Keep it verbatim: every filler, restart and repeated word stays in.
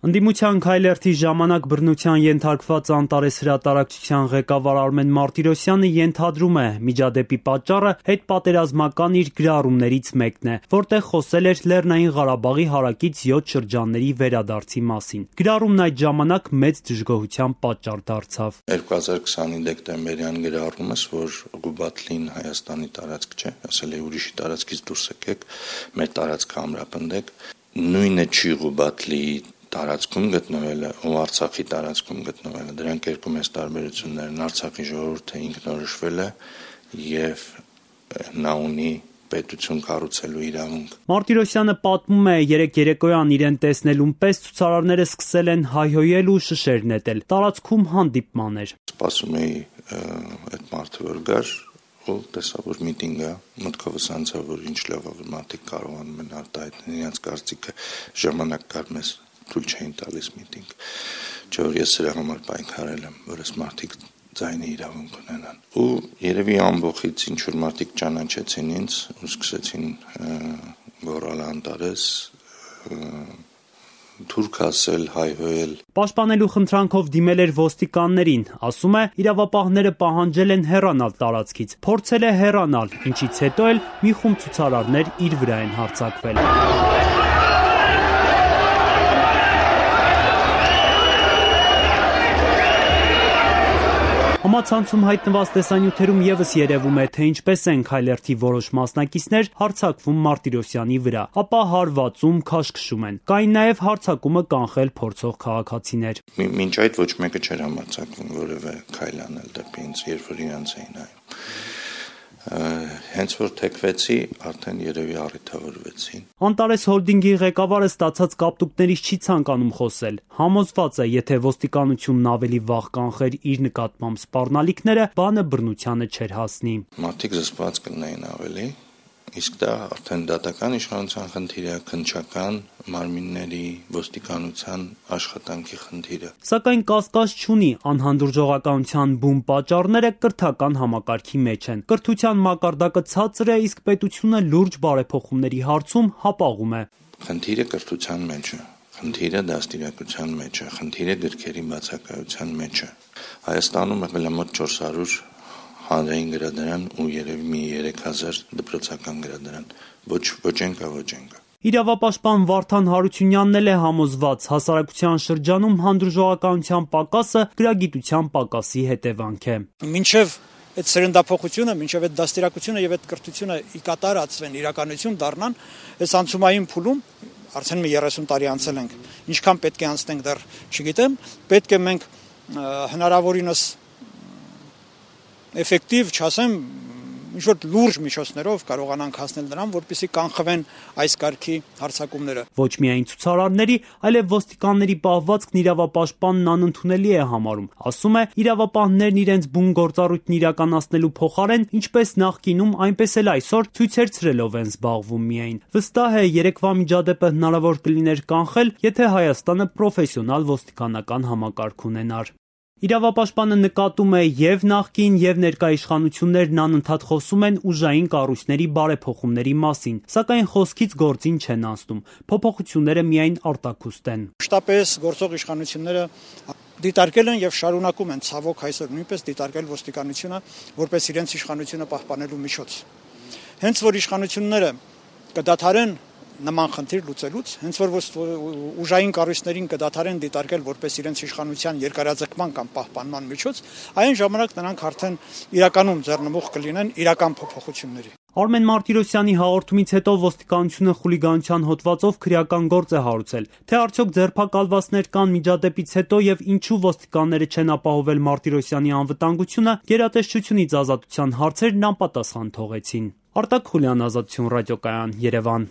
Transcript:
Ընդդիմության քայլերթի ժամանակ բռնության ենթարկված Անտարես հրատարակչության ղեկավար Արմեն Մարտիրոսյանը ենթադրում է՝ միջադեպի պատճառը հետպատերազմական իր գրառումներից մեկն է, որտեղ խոսել էր Լեռնային Ղարաբաղի հարակից յոթ շրջանների վերադարձի մասին։ Գրառումն այդ ժամանակ մեծ դժգոհության պատճառ դարձավ։ երկու հազար քսանի դեկտեմբերյան գրառումս, որ Ղուբաթլին Հայաստանի տարածք չէ, ասել է ուրիշի տարածքից դուրս եկեք, մեր տարածքը ամրապնդեք, նույնը չի Ղուբաթլի տարածքում գտնվելը ու Արցախի տարածքում գտնվելը, դրանք երկու մեծ տարբերություններ են։ Արցախի ժողովուրդը ինքնորոշվել է եւ նա ունի պետություն կառուցելու իրավունք։ Մարտիրոսյանը պատմում է, երեք երեկոյան իրեն տեսնելուն պես ցուցարարները սկսել են հայհոյել ու շշեր նետել։ Տարածքում հանդիպման էր։ Սպասում էի այդ մարդը որ գար ու տեսա որ միտինգ է, մտքովս անցա որ ինչ լավ է որ մարդիկ կարողանում են արտահայտել իրենց կարծիքը, ժամանակ կար մեզ թույլ չէին տալիս միտինգ, չէ որ ես սրա համար պայքարել եմ, որ այս մարդիկ ձայնի իրավունք ունենան։ Ու երևի ամբողից ինչ որ մարդիկ ճանաչեցին ինձ ու սկսեցին գոռալ Անտարես, թուրք ասել, հայհոյել։ Պաշտպանելու խնդրանքով դիմել էր ոստիկաններին, ասում է, իրավապահները պահանջել են հեռանալ տարածքից, փորձել է հեռանալ, ինչից հետո էլ մի խումբ ցուցարարներ իր վրա են հարձակվել։ Համացանցում հայտնված տեսանյութերում ևս երևում է, թե ինչպես են քայլերթի որոշ մասնակիցներ հարձակվում Մարտիրոսյանի վրա, ապա հարվածում, քաշքշում են։ Կային նաև հարձակումը կանխել փորձող քաղաքացիներ։ Մինչ այդ ոչ մեկը չէր համարձակվում որևէ քայլ անել դեպի ինձ, երբ որ իրանց էին նայում։ Հենց որ թեքվեցի, արդեն երևի առիթավորվեցին։ Անտարես հոլդինգի ղեկավարը ստացած կապտուկներից չի ցանկանում խոսել։ Համոզված է, եթե ոստիկանությունն ավելի վաղ կանխեր իր նկատմամբ սպառնալիքները, բանը բռնությանը չէր հասնի։ Մարդիկ զսպված կլինեին ավելի, իսկ դա արդեն դատական իշխանության խնդիր է, քննչական մարմինների ոստիկանության աշխատանքի խնդիրը։ Սակայն կասկած չունի, անհանդուրժողականության բուն պատճառները կրթական համակարգի մեջ են։ Կրթության մակարդակը ցածր է, իսկ պետությունը լուրջ բարեփոխումների հարցում հապաղում է։ Խնդիրը կրթության մեջ է, խնդիրը դաստիարակության մեջ է, խնդիրը գրքերի բացակայության մեջ է։ Հայաստանում եղել է մոտ չորս հարյուր հանրային գրադարան ու երևի մի երեք հազար դպրոցական գրադարան։ Ոչ ոչ ենկա, ոչ ենկա։ Իրավապաշտպան Վարդան Հարությունյանն էլ է համոզված, հասարակության շրջանում հանդուրժողականության պակասը գրագիտության պակասի հետևանք է։ Մինչև այդ սերնդափոխությունը, մինչև այդ դաստիարակությունը եւ այդ կրթությունը ի կատարածվեն, իրականություն դառնան, այս անցումային փուլում արդեն մի երեսուն տարի անցել ենք։ Ինչքան պետք է անցնենք դեռ չգիտեմ, պետք է մենք հնարավորինս էֆեկտիվ, չասեմ, ինչ-որ լուրջ միջոցներով կարողանանք հասնել նրան, որպեսզի կանխվեն այս կարգի հարձակումները։ Ոչ միայն ցուցարարների, այլև ոստիկանների պահվածքն իրավապաշտպանն անընդունելի է համարում։ Ասում է, իրավապահներն իրենց բուն գործառույթն իրականացնելու փոխարեն, ինչպես նախկինում, այնպես էլ այսօր ցույցեր ցրելով են զբաղվում միայն։ Վստահ է, երեկվա միջադեպը հնարավոր կլիներ կանխել, եթե Հայաստանը պրոֆեսիոնալ ոստիկանական համակարգ ունենար։ Իրավապաշտպանը նկատում է և նախկին և ներկա իշխանություններն անընդհատ խոսում են ուժային կառույցների բարեփոխումների մասին, սակայն խոսքից գործին չեն անցնում, փոփոխությունները միայն արտաքուստ են։ Մշտապես գործող իշխանությունները դիտարկել են եւ շարունակում են ցավոք այսօր նույնպես դիտարկել ոստիկանությունը որպես իրենց իշխանությունը պահպանելու միջոց։ Հենց որ իշխանությունները կդադարեն նման խնդիր լուծելուց, հենց որ ուժային կառույցներին կդադարեն դիտարկել որպես իրենց իշխանության երկարաձգման կամ պահպանման միջոց, այն ժամանակ նրանք արդեն իրականում ձեռնմուխ կլինեն իրական փոփոխությունների։ Արմեն Մարտիրոսյանի հաղորդումից հետո ոստիկանությունը խուլիգանության հոդվածով քրեական գործ է հարուցել, թե արդյոք ձերբակալվածներ կան միջադեպից հետո եւ ինչու ոստիկանները չեն ապահովել Մարտիրոսյանի անվտանգությունը, գերատեսչությունից ազատության հարցերն անպատասխան թողեցին։ Արտակ Խուլյան, Ազատություն ռադիոկայան, Երևան։